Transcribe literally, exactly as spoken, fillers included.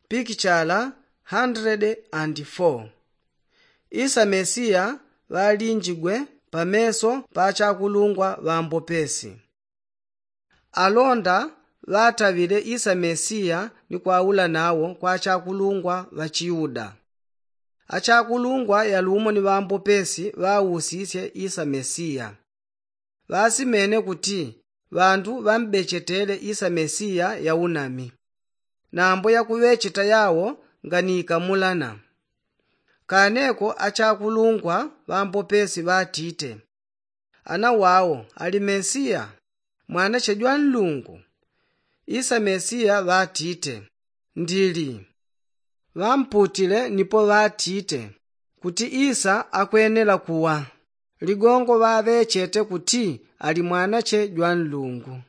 Pikichala handrede and foo. Isa mesiya ŵalinjigwe pameso pa achakulungwa ŵambopesi. Alonda ŵataŵile isa mesiya ni kwaula nawo kwa achakulungwa ŵa chiyuda. Achakulungwa yalumo ni ŵambopesi ŵausisye isa mesiya. Ŵasimene kuti ŵandu ŵambechetele isa mesiya yaunami. Nambo yakuŵecheta yawo nganikamulana. Kaneko achakulungwa ŵambopesi ŵatite, ana wawo ali mesiya, mwanache jwa nlungu? Isa mesiya ŵatite, ndili. Ŵamputile nipo ŵatite kuti isa akwenela kuwa. Ligongo ŵaŵechete kuti ali mwanache jwa nlungu.